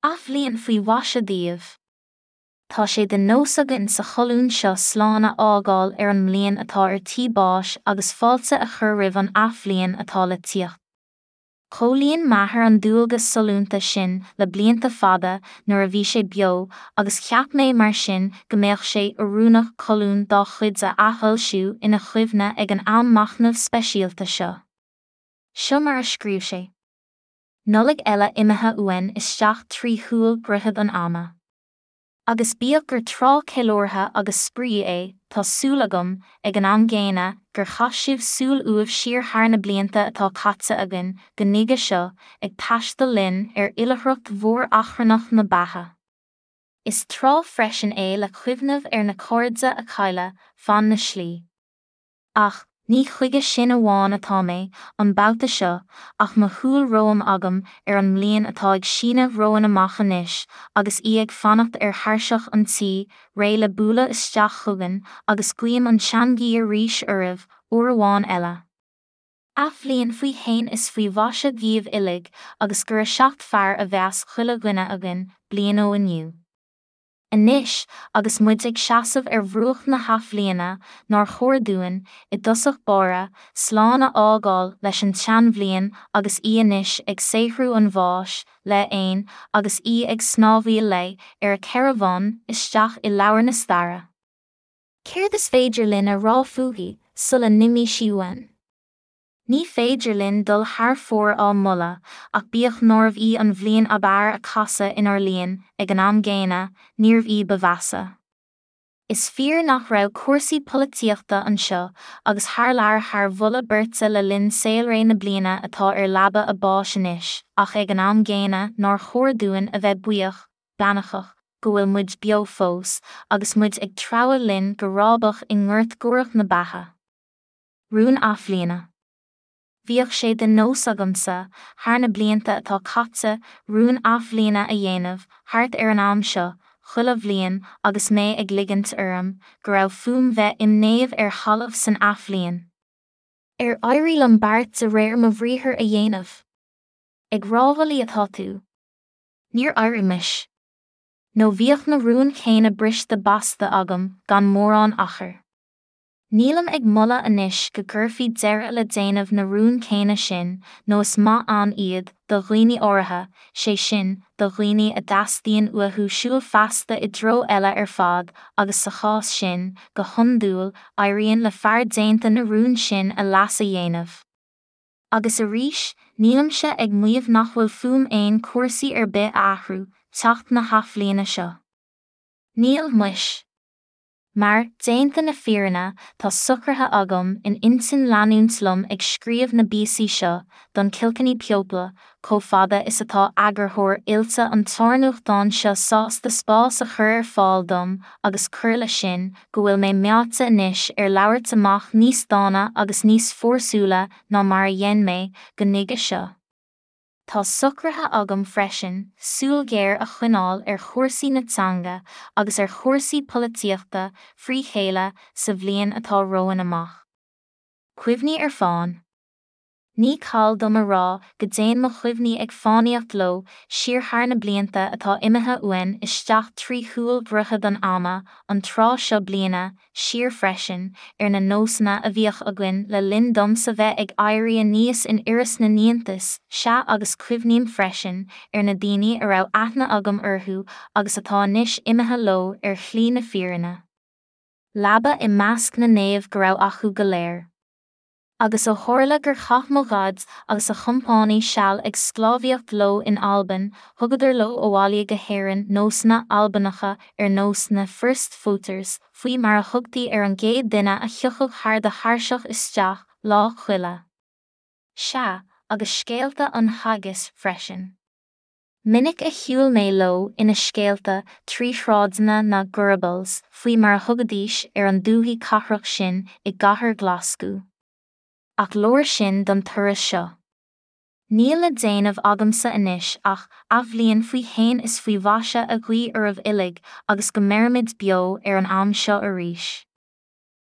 Athbhliain faoi mhaise daoibh! Tá sé de nós againn sa cholún seo slán a fhágáil ar an mbliain atá ar tí báis agus fáilte a chur roimh an athbhliain atá le tíocht. Chomhlíon m'athair an dualgas sollúnta sin le blianta fada nuair a bhí sé beo agus cheap mé mar sin go mbeadh sé oiriúnach colún dá chuid a athfhoilsiú ina chuimhne ag an am machnaimh speisialta seo. Seo mar a scríobh sé. Nollaig eile imithe uainn isteach trí shúil dhroichead an ama. Agus bíodh gur tráth ceiliúrtha agus spraoi é, tá súil agam, ag an am gcéanna, gur chaith sibh súil uaibh siar thar na blianta atá caite againn go nuige seo, ag taisteal linn ar oilithreacht mhór achrannach na beatha. Is tráth freisin é le cuimhneamh ar na cairde a cailleadh fan na slí. Ach, ní chuige sin amháin atá mé, an babhta seo, ach mo shúil romham agam ar an mbliain atá ag síneadh romhainn amach anois, agus í ag fanacht ar thairseach an tí, réidh le bualadh isteach chugainn, agus guím an tseanghuí arís oraibh, uair amháin eile. Athbhliain faoi shéan is faoi mhaise dhaoibh uilig, agus gura seacht fearr a bheas chuile dhuine againn, bliain ó inniu. Anois, agus muid ag seasamh ar bhruach na hathbhliana, nár chóir dúinn, i dtosach báire, slán a fhágáil leis an tseanbhliain agus í anois ag saothrú an bháis, léi fhéin, agus í ag snámhaíl léi, ar a ceithre bhonn, isteach i leabhar na staire? Céard is féidir linn a rá fúithi, sula n-imí sí uainn? Ní féidir linn dul thar fóir á moladh, ach bíodh nárbh í an bhliain ab fhearr a casadh inár líon, ag an am gcéanna, níorbh í ba mheasa. Is fíor nach raibh cúrsaí polaitíochta anseo agus thar lear thar mholadh beirte le linn saolré na bliana atá ar leaba a báis anois, ach ag an am gcéanna nár chóir dúinn a bheith buíoch, beannachach, go bhfuil muid beo fós, agus muid ag treabhadh linn go rábach i ngort guaireach na beatha. Rún Athbhliana. Bhíodh sé de nós agamsa, thar na blianta atá caite, rún athbhliana a dhéanamh, thart ar an am seo, chuile bhliain, agus mé ag ligint orm go raibh fúm bheith im naomh ar thalamh san athbhliain. Ar éirigh liom beart de réir mo bhriathair a dhéanamh? Ag rámhaillí atá tú? Níor éirigh muis. Nó bhíodh na rúin chéanna briste basta agam gan mórán achair. Nílim ag moladh anois go gcuirfí deireadh le déanamh na rún céanna sin, nó is maith ann iad, do dhaoine áirithe, sé sin, do dhaoine a dteastaíonn uathu siúl feasta i dtreo eile ar fad agus sa chás sin, go hiondúil, éiríonn le fear déanta na rún sin a leas a dhéanamh. Agus arís, nílimse ag maíomh nach bhfuil fúm fhéin cúrsaí ar bith a athrú, teacht na hathbhliana seo. Níl, muis. Mar, déanta na fírinne, tá socraithe agam in intinn leanúint liom ag scríobh na bpíosaí seo don Kilkenny People chomh fada is atá eagarthóir oilte an tsárnuachtáin seo sásta spás a chur ar fáil dom agus cuir leis sin go bhfuil mé meáite anois ar labhairt amach níos dána agus níos fórsúla ná mar a dhein mé go nuige seo. Tá socraithe agam freisin súil ghéar a choinneáil ar chúrsaí na teanga agus ar chúrsaí polaitíochta frí chéile sa bhliain atá romhainn amach. Cuimhní ar fán. Ní call dom a rá go dtéann mo chuimhní ag fánaíocht leo siar thar na blianta atá imithe uainn isteach trí shúil dhroichead an ama, an tráth seo bliana, siar freisin, ar na nósanna a bhíodh againn le linn domsa bheith ag éirí aníos in Iorras na nIontas, sea agus cuimhním freisin ar na daoine a raibh aithne agam orthu agus atá anois imithe leo ar shlí na fírinne. Leaba i measc na naomh go raibh acu go léir. Agus ó tharla gur chaith mo Dhaid agus a chompánaigh seal ag sclábhaíocht leo in Albain, thugadar leo abhaile go hÉirinn nósanna Albanacha ar nós na 'first footers' faoi mar a thugtaí ar an gcéad duine a thiocfadh thar do thairseach isteach Lá Coille. Sea, agus scéalta an haggis freisin. Minic a shiúil mé leo ina scéalta trí shráideanna na Gorbals faoi mar a thugaidís ar an dúthaigh cathrach sin i gcathair Ghlaschú. Ach leor sin don turas seo. Níl le déanamh agamsa anois ach athbhliain faoi shéan is faoi mhaise a ghuí oraibh uilig agus go mbeirimid beo ar an am seo arís.